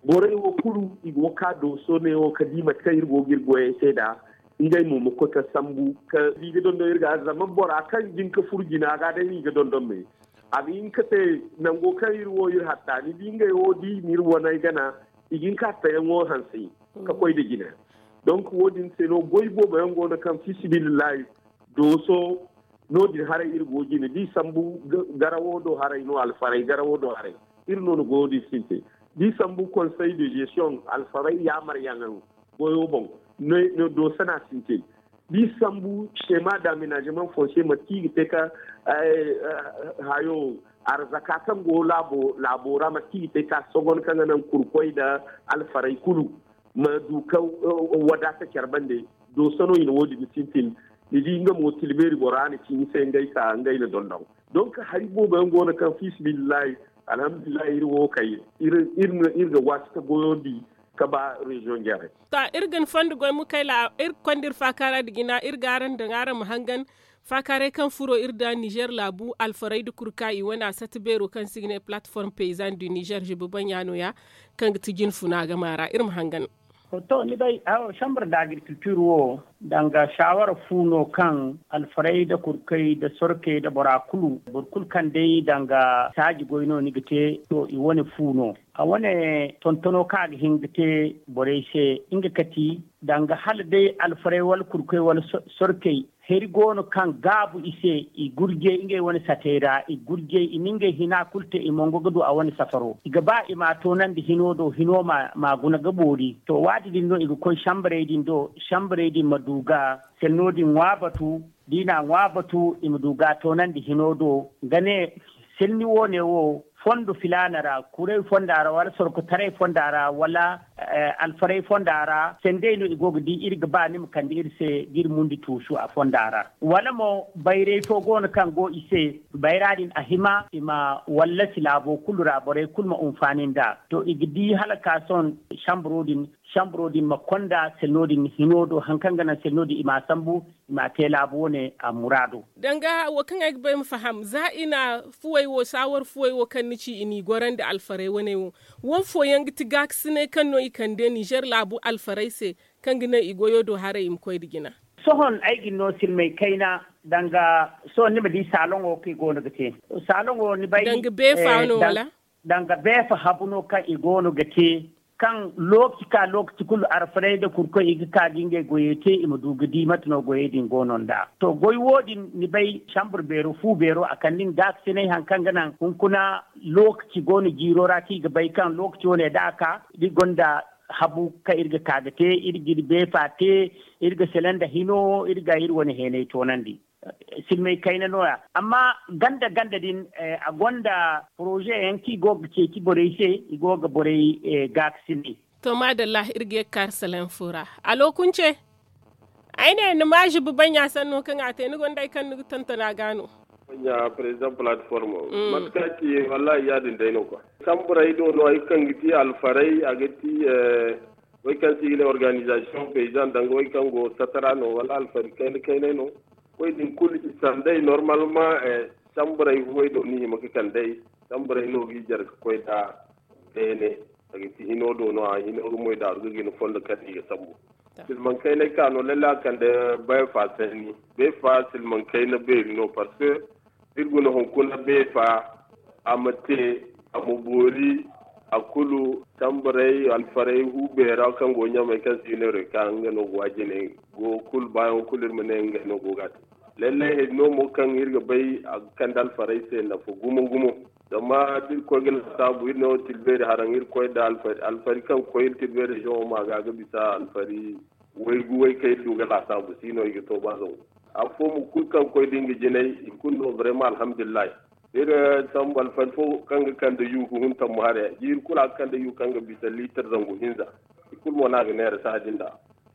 borey wo kulu i go ga ka dooso ne wo ga di mate kaŋ iri go ga iri goyey te nd'a. Ngey mo ma koy ga sambu ka di ga dondon iri ga zama bora kaŋ jin ga furu jina ga day no i ga dondon me. A ga hin ga te nango kaŋ iri wo iri hatta ni di ngey wo da i na iri waney gana, i ga hin ga hatta yaŋo hanse ka koy nda jina. Donc wo- din se no goy boobo yaŋ go no kaŋ fi sabilillahi dooso no- din haray iri go jine da i sambu garawo do haray no alfaray garawo do haray. Iri no na goyo din sinte da i sambu konsey de gestion alfaray yaamar yaŋ goyo boŋ. Dooso no a sinte da i sambu sema daminazeman fonse mate kaŋ i ga te ka hayo arzaka kaŋ go laabo ra mate kaŋ i ga te ka sogon kaŋ ga naŋ kurkoy nda alfaray kulu ma du ka wadaata care bande. Dooso no i na wo- din sintin ni di nga mo tilbeeri bora na ci ni se ngey ka ngey na dondon. Donc hari boobo yaŋ go no kaŋ fi sabilillahi alhamdulillahi iri wo kay iri ga waati ka goyo di ka ba reziyoŋ jarey. To iri ga ni fondo goy mukayla iri ga konda iri faakaara nda jina iri ga araŋ daŋ araŋ ma hangan faakaaray kaŋ furo iri nda nizer laabu alfaray nda kurka i wane a sata beero kaŋ se i ga ne plateforme paysan du nizer zibi baŋ ya no- ya kaŋ ga ti jinfuna game ra iri ma hangan. To ni bay awo chambre d'agriculture wo danga shawara fu no kaŋ alfaray nda kurkey nda sorkey nda bora kulu boro kulu kaŋ day danga saaji goy no ni ga te to i wane fu no. A wane tontono kaŋ a ga hin ga te borey se nga kati danga hala day alfaray wala kurkey wala sorkey heri go no kaŋ gaabu i se i gurjey ngey wane satey ra i gurjey i na ngey hina kulu te i mongo ga du a wane safaro i ga ba i ma a toonandi hino do hino ma guna ga boori to waati din no i ga koy sambarey din do sambarey din ma du ga selno din ŋwa batu da i na a ŋwa batu i ma du ga a toonandi hino do ga ne selni wo- ne wo fondo filaana ra kuray fonda ra wala sorkotaray fonda ra wala alfaray fonda ra sendey no i go ga di iri ga ba ni ma kande iri se ga iri mundi tuusu a fonda ra wala mo bayray fo go no kaŋ go i se bayra din a hima i ma wallasi laabo kulu ra borey kulu ma hunfaani nd'a to i ga di hala ka sohõ samburo din samburo din ma konda selno din hino do hari kaŋ ga naŋ selno din i ma a sambu i ma a te laabu wane a muraado. Danga wo kaŋ ay ga bay ma faham za i na fuwey wo saawar fuwey wo kaŋ ni ci i n'i gorandi alfarey waney wo wane fooyaŋ ga ti gaakasiney kaŋ no i kande nizer laabu alfarey se kaŋ ga naŋ i goyo do haray i ma koy nda jina. Sohõ ay ga ni no silmay kayna danga sohõ ni ma di saaloŋo kaŋ i go no ga te saaloŋo ni bay danga beefa no wala danga beefa habu no kaŋ i go no ga te kaŋ lookaci ka lookaci kulu arfarey nda kurkoy i ga ka ga ngey goyey te i ma du ga di mate no goyey din go no nd'a to goy wo- din ni bay sambur beero fu beero a kande nga gaakasinay hari kaŋ ga naŋ hunkuna lookaci go no jiiro ra kaŋ i ga bay kaŋ lookaci wane da a ka da i gonda habu kaŋ iri ga ka ga te iri ga iri beefa te iri ga sele nda hino iri ga iri wane heenay toonandi. Silmay kayna no- ya amma ganda ganda din a gonda poroze yaŋ kaŋ i go ga ceeci borey se i go ga borey gaakasinay. To maadalla iri ga ye ga kaari salaŋ fo ra. Alo kunce ay ne ni ma zibi baŋ ya sanno kaŋ a te ni gonda hari kaŋ ni ga tonton a ga no. Baŋ ya president plateforme mate kaŋ a ci wallahi ya-din day no kwa samburey do no hari kaŋ ga ti alfarey a ga ti way kaŋ se i ga ne organizasiyoŋ paysan danga way kaŋ go satara no wala alfari kayna kaynay no. Way din kulu i sanday normalement samburey way do ni hima ga kandey samburey no ga i jare ga koy da beene a ga ti hino do no a hino ga moy daaru ga gina fondo kaŋ i ga sambu. Silmaŋ kaynay ka no lalle a kande beefa sanni beefa silmaŋ kayna beeri no parce que iri guna hunkuna beefa a ma te a ma boori a kulu tambaray alfaray hu beera kaŋ go ɲamay kaŋ se i ne reka nga no go a jine go kulu baayaŋ kulu iri ma ne ngey no go ga a te. Lallay hari no mo kaŋ iri ga bay a ga kande alfaray se nafa gumo gumo. Zama da iri koy ga lasaabu iri ne wo tilbeeri haraŋ iri koy nda alfari kaŋ ga koy iri tilbeeri region wo ma ga ga bisa alfari waygu way kaŋ iri du ga lasaabu si no i ga to ba zangu. Afo mo kulu kaŋ koy da nga jinay i kulu no vraiment alhamdulillahi. Iri sambu alfari fo kaŋ ga kande yu ga hun tammu haray jiiri kulu a ga kande yu kaŋ ga bisa liitar zangu hinza. I kulu mo no a ga neera sahã din da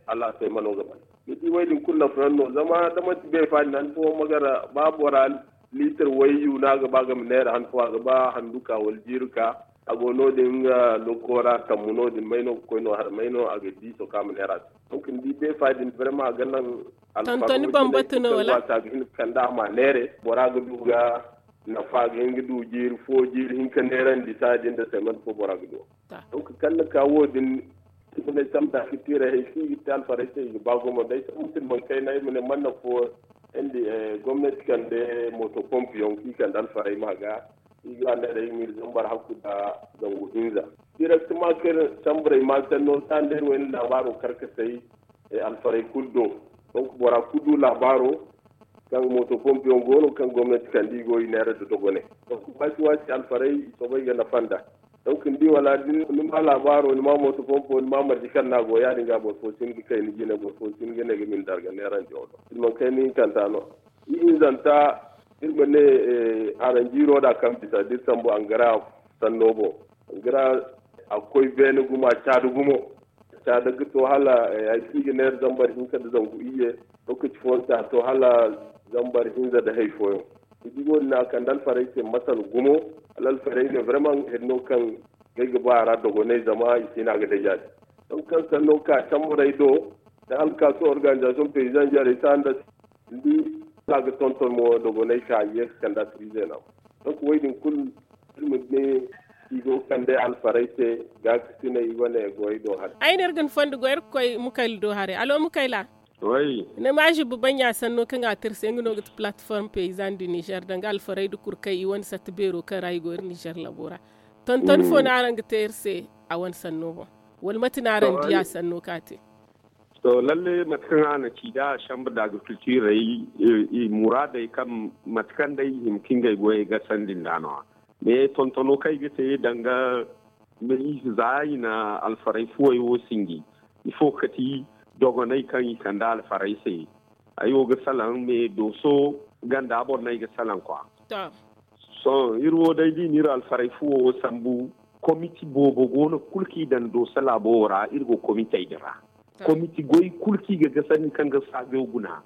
hala a se mano ga ban. Ni di way din kulu nafa yaŋ no zama da manti beefa din han fo ma gara ba bora liitar way yu no a ga ba ga ma neera han fo a ga ba handu ka wala jiiri ka. A go no- din nga lokora tammu no- din may no ga koy no har may no a ga di soka ma neera se. Donc ni di beefa din vraiment a ga naŋ alfarma bambata no wala? A ga hin ga kande a ma neere bora ga du ga nafa, a ga hin ga du jiiri fo jiiri hinka neerandi saaya din da semaine fo bora ga du. Donc kaŋ ni ka wo- din, i ga ne sambu da a ga tiiray hay si i ga te alfaray se i ga ba gumo day sambu silmaŋ kayna i ma ne manna fo. Gomnati kande moto pompe yaŋ kaŋ i kande alfaray ma ga i ga ne day i ma iri zambar hakku da zangu hinza. Direktama kaŋ iri samburay ma sanno sanda iri wayna laabaaro karkasay alfaray kulu do. Donc bora kulu du laabaaro kaŋ moto pompe yaŋ go no kaŋ gomnati kande i go i neera da dogonay. Donc waati waati alfaray i soobay ga nafa nd'a. Donc ni di wala da ni ma laabaaro ni ma moto pompo ni ma marje kaŋ no a go ya- din ga boro fo si hin ga kay ni jine boro fo si hin ga ne ga min darga neeranje wo do silmaŋ kayna hinkanta no. Ihinzanta iri ma ne haranjiiro da kaŋ bisa da iri sambu angara sanno boŋ. Angara a ga koy beene gumo a caada gumo. Caada ga to hala hari kaŋ i ga neera zambar hinka nda zangu iyye. Lokaci fooyaŋ se a to hala zambar hinza nda hari fooyaŋ. Ni di wo- din a kande alfaray se masal gumo. Hala alfaray ne vraiment hari no kaŋ ngey ga ba a ra dogonay zama i si hin a ga day ya- din. Donk kaŋ sanno ka samburey do nda hala ka to organisation paysan jarey se a nda ni di hala a ga tonton mo dogonay ka ye ga kande a si riize no. Donk wo- din kulu iri ma ne i go ga kande alfaray se gaakasinay wane goyey do haray. Ay no iri ga ni fondo goy iri ga koy mukayla do haray alo mukayla. Ni ma zibba baŋ ya sanno kaŋ a te iri se nga no ga ti plateforme paysan du nizer danga alfaray nda kurkay i wane satta beero kaŋ ra i go iri nizer labo ra. Tonton fo no araŋ ga te iri se a wane sanno boŋ? Wala mate no araŋ di a sanno kaŋ a te? To lalle mate kaŋ a na ci da chambre d'agriculture ay muraadey kaŋ mate kaŋ day i hima ka ngey goyey gasandi nd'a no-ya. Mais tontono kaŋ ay ga te danga, za i na alfaray fuwey wo sinji ifo kati dogonay kaŋ i kande alfaray se. Ay wo ga salaŋ mais dooso ganda boŋ no ay ga salaŋ kwa. Sohõ iri wo day da i na iri alfaray fuwo wo sambu. Komiti boobo go no kulu kaŋ i daŋ dooso laabo wo ra iri go komitey din ra. Komiti goy kulu kaŋ i ga gasandi kaŋ ga saajo guna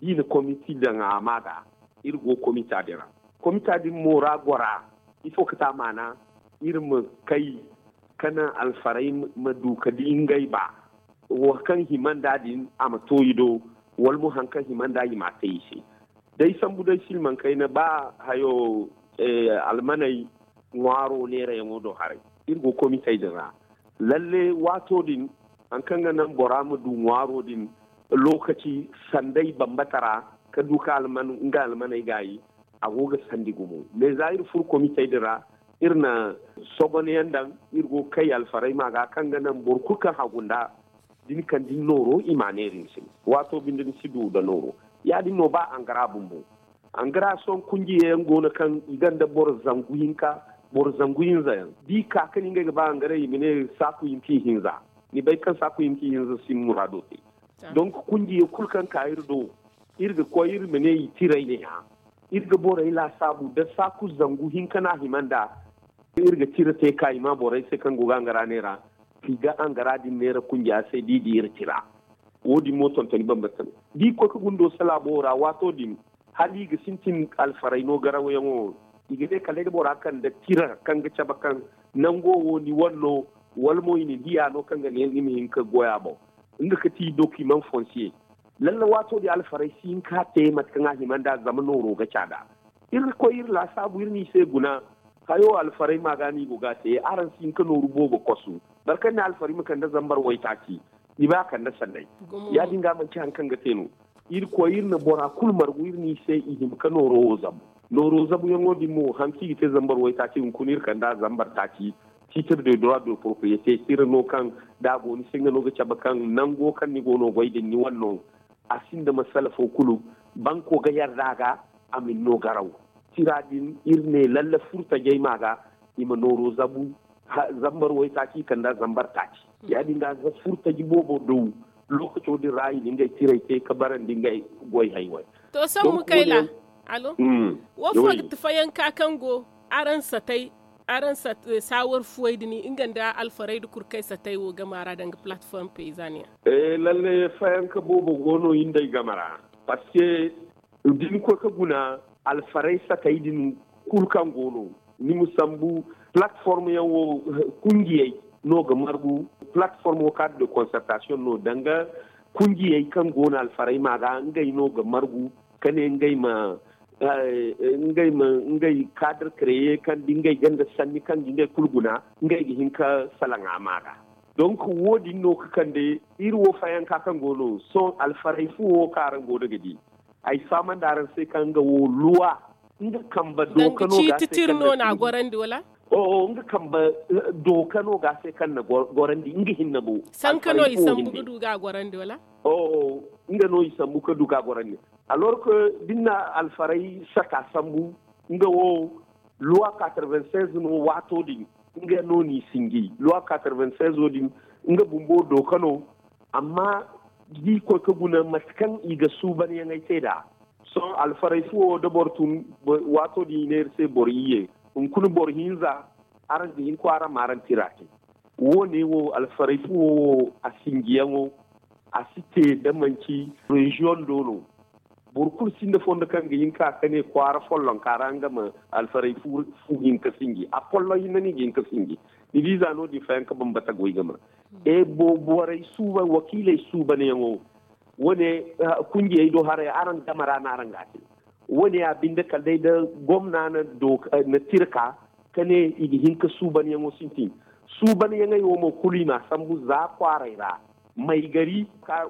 da i na komiti daŋ a ma ga. Iri go komita din ra. Komita din mo ra gora ifo ga ti a maana? Iri ma kay ka naŋ alfaray ma du ka di ngey ba wo kaŋ hima nd'a din a ma to i do, wala mo hari kaŋ hima nd'a i m'a te i se. Day sambu day silmaŋ kayna ba hayo almaney ŋwaaro neerayaŋo do haray. Iri go komitey din ra lalle waato din hari kaŋ ga naŋ bora ma du ŋwaaro din lookaci sanday bambata ra ka du ka nga almaney gaayi. A go ga sandi gumo mais za iri furo komitey din ra iri na sogonayaŋ daŋ. Iri go ga kay alfaray ma ga kaŋ ga naŋ boro kulu kaŋ hagu nd'a da ni kande ni nooro i m'a neera ni se. Waato binde ni si du nda nooro. Ya-din no ba angara bumbo. Angara sohõ kunjiyayaŋ go no kaŋ i gonda boro zangu hinka, boro zangu hinza yaŋ da i ka ka ne ngey ga ba angara i ma ne saaku hinka i hinza. Ni bay kaŋ saaku hinka i hinza sin muraado te. Donk kunjiya kulu kaŋ ka iri do iri ga koy iri ma ne i tiray ne-ya. Iri ga borey laasaabu da saaku zangu hinka no a hima nd'a. Iri ga tira te ka i ma borey se kaŋ go ga angara neera, i ga angara din neera kunja se da i di iri tira. Wo- din mo tontoni bambata no da i koy ka guna dooso laabo wo ra waato din hala i ga sintin alfaray no garawyaŋo. I ga ne kala day da bora kande tira kaŋ ga cabe kaŋ nango wo ni wane no, wala mo i na ni diya no kaŋ ga ne ni ma hin ka goy a boŋ. Nga ga ti dokimaŋ fonsiye. Lalle waato din alfaray si hin ka te mate kaŋ a hima nd'a zama nooro ga caada. Iri koy iri laasaabu iri n'i se guna. Hayo alfaray ma ga no i go ga a te araŋ si hin ka nooru boobo kosu. Boro kaŋ ne alfaray ma kande zambar waytaaci, ni bay a kande sanday. Ya-din ga manci hari kaŋ ga te no. Iri koy iri na bora kulu margu iri n'i se i hima ka nooro wo zabu. Nooro zabuyaŋo din mo hari kaŋ i ga te zambar waytaaci hunkuna iri kande a zambar taaci. Titre de droit de propriété tira no kaŋ da a go ni se nga no ga cabe kaŋ nango kaŋ ni go no goy din ni wane no. A sinda masala fo kulu. Banko ga yarda a ga a ma ni no garaw. Tira din iri ne lalle furtajey ma ga i ma nooro zabu. Zambar waytaaci kanda zambar taaci. Ya-din ga za furtaji boobo daw. Lookaco din ra i na ngey tirey te ka barandi ngey goy haywey. To sohõ mukayla, alo? Wo fo ga ti fayanka kaŋ go araŋ satay araŋ saawar fuwey din nga nda alfaray nda kurkay satay wo game a ra danga plateforme paysanne yaŋ? Lalle fayanka boobo go no i nd'ey game ra. Parce que da ni koy ka guna alfaray satay din kulu kaŋ go no. Ni ma sambu, platform yaŋ wo, kungiyey no ga margu. Platform wo, cadre de concertation no danga kungiyey kaŋ go no alfaray ma ga ngey no ga margu ka ne ngey ma ngey ma ngey cadre créer kaŋ da ngey ganda sanni kaŋ ga ngey kulu guna, ngey ga hin ka salaŋ a ma ga. Donc wo- din no ga kande iri wo fayanka kaŋ go no sohõ alfaray fu wo kaŋ araŋ go no ga di. Ay fahamandi araŋ se kaŋ nga wo luwa nga kamba dooka no ga se kaŋ na gorandi wala? Oo nga kamba dooka no ga se kaŋ na gorandi nga hinne mo. Sanka no i sambu ga du ga gorandi wala? Oo nga no i sambu ga du ga gorandi. Alors que da ni na alfaray saka sambu nga wo luwa quatre-vingt-seize no waato din. Nga no n'i sinji luwa quatre-vingt-seize wo din nga bumbo dooka no. Amma da i koy ka guna mate kaŋ i ga suubanyaŋey te nd'a. Sohõ alfaray fu wo da boro tun waato din i ne iri se boro iyye hunkuna boro hinza. Araŋ ga hin kwaara ma araŋ tira te. Wo- ne wo alfaray fu wo wo a sinjiyaŋo a si te da manci reziyoŋ do no. Boro kulu sinda fondo kaŋ ga hin ka ka ne kwaara follonka ra nga ma alfaray fu hin ka sinji a folloŋ hinne no i ga hin ka sinji. Ni di za no- din fayanka bambata goy ga ma e borey suuban wakiiley suubanyaŋo. Wo- ne kungiyey do haray araŋ game ra no araŋ ga a te. Wo- ne ya binde kala day da gomna na tira ka ka ne i ga hin ka suubanyaŋo sintin. Suubanyaŋey wo mo kulu i m'a sambu za kwaaray ra. Maygari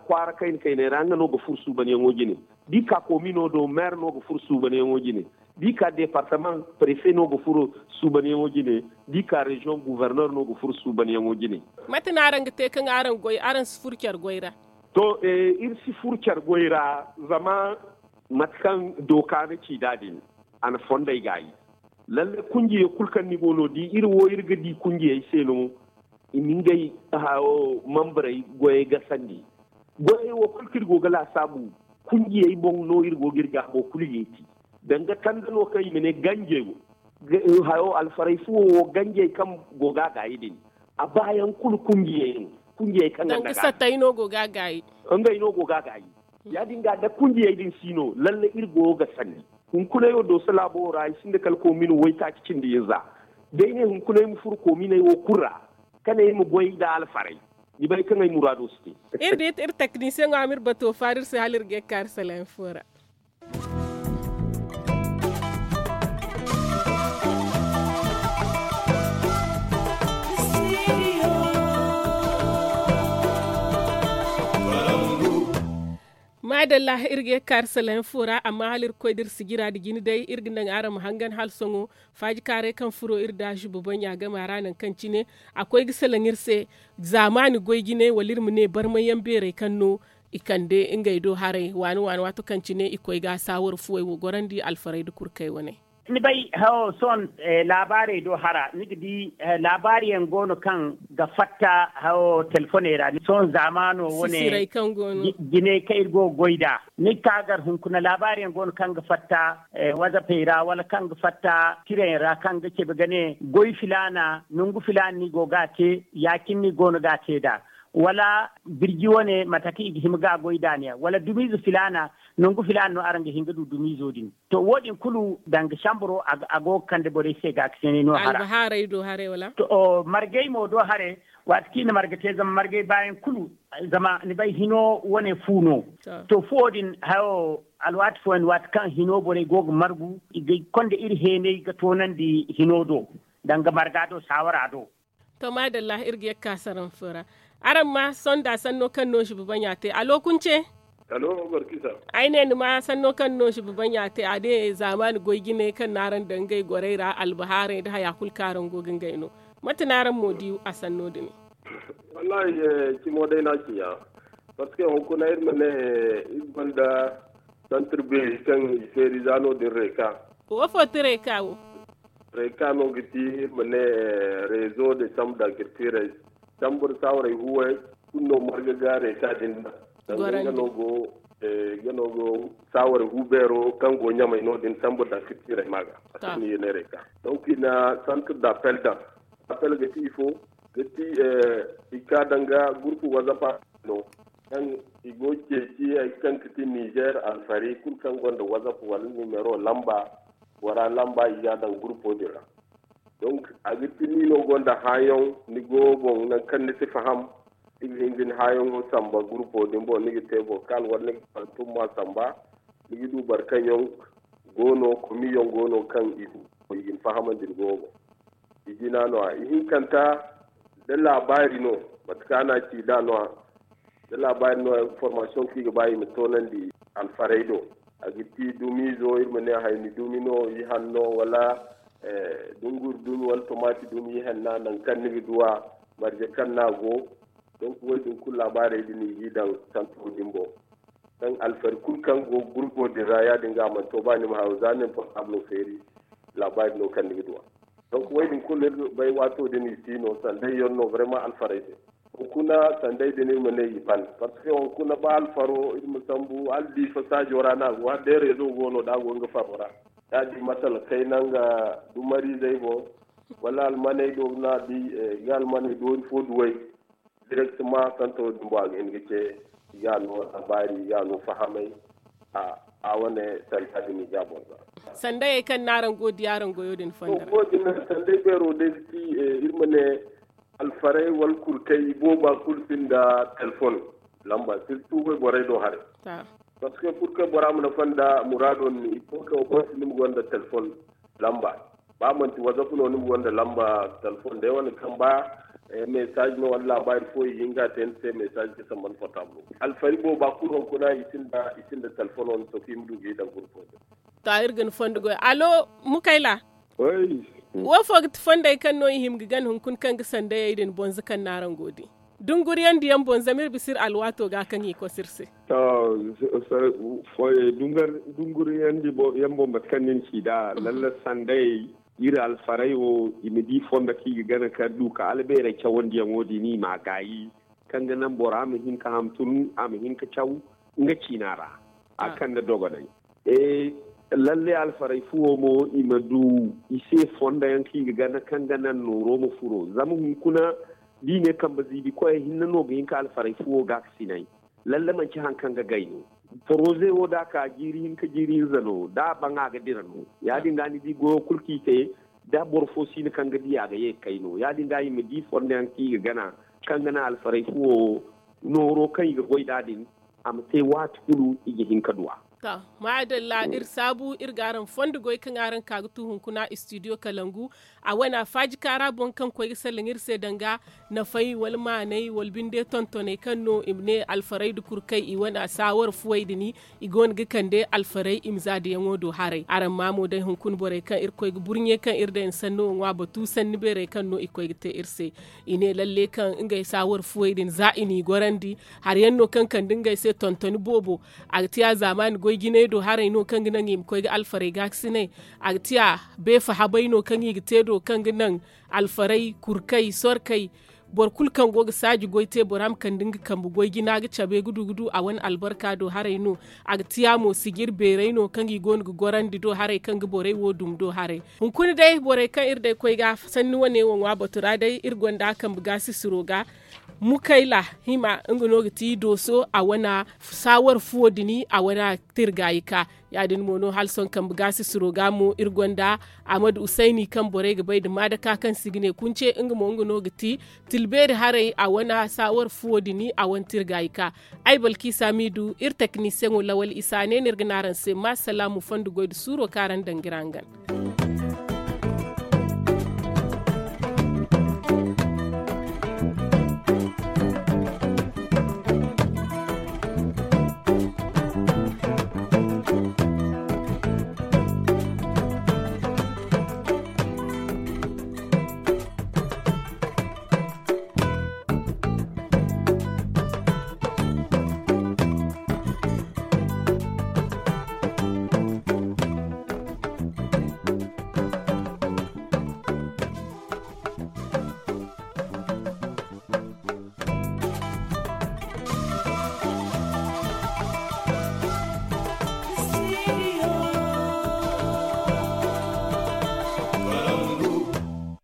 kwaara kayna kayney ra nga no ga furo suubanyaŋo jine. Da i ka komino do maire no ga furo suubanyaŋo jine. Da i ka departement prefe no ga furo suubanyaŋo jine. Da i ka reziyoŋ gouverneur no ga furo suubanyaŋo jine. Mate no araŋ ga te kaŋ araŋ goy araŋ si furo care goy ra? To, iri si furo care goy ra. Zama mate kaŋ dooka na ci nd'a din a na fondey gaayi. Lalle kunjiyey kulu kaŋ ni go no di iri wo iri ga di kunjiyey se no. I na ngey hayo mambarey goyey gasandi. Goyey wo kulu kaŋ iri go ga laasaabu kunjiyey boŋ no iri go ga iri gaabo kulu yeeti. Danga kande no kaŋ i ma ne ganjey wo hayo alfaray fuwo wo ganjey kaŋ go ga a gaayi din. A baayaŋ kulu kunjiyey no. Kunjiyey kaŋ ga nga sattay no go ga a gaayi. Ngey no go ga a gaayi. Ya- din ga da kunjiyey din si no lalle iri go ga sanni. Hunkuney wo dooso laabo wo ra i sinda kala komin waytaaci cindi hinza. Day ne hunkuney ma furo kominey wo kulu ra ka ne iri ma goy nda alfaray. Ni bay kaŋ ay muraado si te. Iri di iri taknisiyaŋo a ma iri bato faari iri se hala iri ga ye ga kaari salaŋ fo ra. Maadalla, iri ga ye ga kaari salayaŋ fo ra amma hala iri ga koy da iri sijira nda jine day iri ga naŋ araŋ ma hangan hala sohõ. Faaji kaaray kaŋ furo iri da zuba baŋ ya game a ra nangu kaŋ cine a koy ga salaŋ iri se. Zaamaani goy jine wala iri ma ne barmayyaŋ beerey kaŋ no i kande ngey do haray waani waani waato kaŋ cine i koy ga saawar fuwey wo gorandi alfaray nda kurkey wane. Ni bay hawo sohõ laabaarey do hara ni ga di laabaari yaŋ go no kaŋ ga fatta hawo telefoney ra sohõ zaamaano wane. Jiney kaŋ iri go ga goy nd'a ni ga ka gar hunkuna laabaari yaŋ go no kaŋ ga fatta wazapey ra wala kaŋ ga fatta tirayaŋ ra kaŋ ga cabe ga ne goy filaana nangu filaana no i go ga a te ya- cine no i go no ga a te nd'a. Wala birji wane mate kaŋ i ga hima ga a goy nd'a ne ya wala dumiize filaana nangu filaana no araŋ ga hin ga du dumiizo din. To wo- din kulu danga samburo a go ga kande borey se ga a ga seenay no hara. Albahaarey do haray wala? To margey mo do haray. Waati kaŋ i na marga te zama margey baayaŋ kulu zama ni bay hino wane fu no. To fuwo din hayo alwaati fooyaŋ waati kaŋ hino borey go ga margu i ga konda iri heenay ga toonandi hino do danga marga do saawara do. To maadalla iri ga ye ga ka saraŋ fo ra. Araŋ ma sohõ nda sanno kaŋ no zuba baŋ ya te alo kunce? Ay ne ni ma sanno kaŋ no zuba baŋ ya te a ne zaamaani goy jinay kaŋ no araŋ daŋ ngey gorey ra albahaaray nda haya kulu kaŋ araŋ go ga ngey no. Mate no araŋ mo di a sanno din? Wallaahi cimo day no a ci ya. Parce que hunkuna iri ma ne iri gonda santir beeri kaŋ i feeri za no- din reeka. Wo fo ti reeka wo? Reeka no ga ti iri ma ne rezo de sambur d'agriculture sambur saawaray huway kulu no marga ga reeka din daŋ. Danga nga no go nga no go saawaray hu beero kaŋ go ɲamay no- din sambur d'agriculture ma ga. A se no i ga ne reeka. Donc i na santir d'appel daŋ. Appel ga ti ifo? Ga ti i ka danga groupe whatsapp no kaŋ i go ceeci hari kaŋ ga ti niger alfari kulu kaŋ gonda whatsapp wala numero lamba bora lamba i ga a daŋ groupo din ra. Donc a ga ti ni no gonda haayaŋ ni go boŋ nangu kaŋ ni si faham. Ni ga hin ga ni haayaŋo samba gurupo din boŋ ni ga te vocal wala ni ga fantum ma samba. Ni ga du boro kaŋ yaŋ go no komiyaŋ go no kaŋ i ga ni fahamandi ni go boŋ. I jina no- ya ihinkanta da laabaari no. Mate kaŋ a na ci nd'a no- ya da laabaari no- ya information kaŋ i ga ba i ma toonandi alfaray do. A ga ti dumiizo iri ma ne hayni dumi no i hanno wala dunguri dumi wala tomaati dumi i hanna nangu kaŋ ni ga du a marje kaŋ no a go. Donc wo- din kulu laabaarey din i g'i daŋ santo din boŋ. Kaŋ alfari kulu kaŋ go gurbo din ra ya- din ga a mana to ba ni ma hayo za ni na portable feeri. Laabaari no kaŋ ni ga du a. Donc wo- din kulu iri bay waato din i si no sanday yaŋ no vraiment alfarey se. Hunkuna sanday din iri ma ne i ban parce que hunkuna ba alfaro iri ma sambu hala diifa saajo ra no a go hala day rezo go no da a go nga faro ra. Da a di masala kayna nga dumariizey boŋ wala almaney do no a di ga almaney doori fo duwey. Direktema santo din boŋ a ga hin ga ce i ga a no laabaari i ga a no fahamay. A wane sanda din i ga a boŋ za. Sandayey kaŋ no araŋ go ga di araŋ goyo din fondo ra. Sanday beero day ga ti iri ma ne alfarey wala kurkey i booba kulu sinda telefon lamba sirtu wayborey do haray. Parce que kurkey bora mana fonda muraado ni i fo kaŋ wo kulu si ni ma gonda telefon lamba. Ba manti whatsapp no ni ma gonda lamba telefon day wane kaŋ ba message no wala laabaari fo i ga hin ga a te ni se message ga samban portable alfari booba kulu hunkuna i sinda telefono ni to kaŋ i ma du ga i daŋ gurfo din. To iri ga ni fondo goy alo mukayla. Wo fo ga ti fondey kaŋ no i hima ga gana hunkuna kaŋ ga sandayey din bonza kaŋ no araŋ go ga di dunguriyaŋ diyaŋ boŋ zama iri bisa iri alwaato ga kaŋ i koso iri se. To, dunguriyaŋ boŋ mate kaŋ ni na ci nd'a lalle sandayey iri alfarey wo i ma di fondo kaŋ i ga gana ka du ka albeerey cawandiyaŋo din i m'a gaayi. Kaŋ ga naŋ bora ma hin ka hamtun a ma hin ka caw nga ciina ra a kande dogonay. Lalle alfarey fuwo mo i ma du i se fondo yaŋ kaŋ i ga gana kaŋ ga naŋ nooro ma furo zama hunkuna da i ne kambe ziibi koyey hinne no ga hin ka alfarey fuwo ga ga sinay. Lalle manci hari kaŋ ga gay no. Poroze wo da a ka jiiri hinka jiiri hinza no da a baŋ a ga dira no ya- din ga ni di goyo kulu kaŋ i te da boro fo si no kaŋ ga di a ga ye ga kay no ya- din ga i ma di fondo yaŋ kaŋ i ga gana kaŋ ga naŋ alfarey fuwo wo nooro kaŋ i ga goy nd'a din a ma te waati kulu i ga hin ka du a. To, maadalla iri saabu iri ga araŋ fondo goy kaŋ araŋ ka ga tu hunkuna istidiyo kalangu. A wane a faaji kaara boŋ kaŋ koy ga salaŋ iri se danga nafay wala maanay wala binde tontoney kaŋ no i ma ne alfarey nda kurkey i wane a saawar fuwey din i go no ga kande alfarey i ma za dayaŋo do haray araŋ ma mo day hunkuna borey kaŋ iri koy ga burɲe kaŋ iri day na sanno wo ŋwa batu sanni beerey kaŋ no i koy ga te iri se. I ne lalle kaŋ ngey saawar fuwey din za i n'i gorandi hari yaŋ no kaŋ kande ngey se tontoni boobo. A ga ti a zaamaani goy jinay do haray no kaŋ ga naŋ i ma koy ga alfarey gaakasinay. A ga ti a beefa habay no kaŋ i ga te do kaŋ ga naŋ alfarey kurkey sorkey. Boro kulu kaŋ go ga saaji goy te bora ma kande nga kambe goy jina ga cabe ga du ga du a wane albarka do haray no. A ga ti a mo sijir beeray no kaŋ i go no ga gorandi do haray kaŋ ga borey wo dumi do haray. Hunkuna day borey kaŋ iri day koy ga sanni wane wo ŋwa batu ra day iri gonda kambe gaasisiro ga. Mukayla hima nga no ga ti dooso a wane saawar fuwo dini a wane tirgayi ka. Ya- din mo no hala sohõ kambe gaasisiro ga mo iri gonda ahmadu usayni kaŋ borey ga bay nda maadaka kaŋ si ga ne kunce nga mo nga no ga ti tilbeeri haray a wane saawar fuwo dini a wane tirgayi ka. Ay balkiisa m'i du iri teknisiyeŋo lawal isa ne no iri ga ne araŋ se ma salaamu fondo goy nda suuro kaŋ araŋ daŋ ga iri hangan.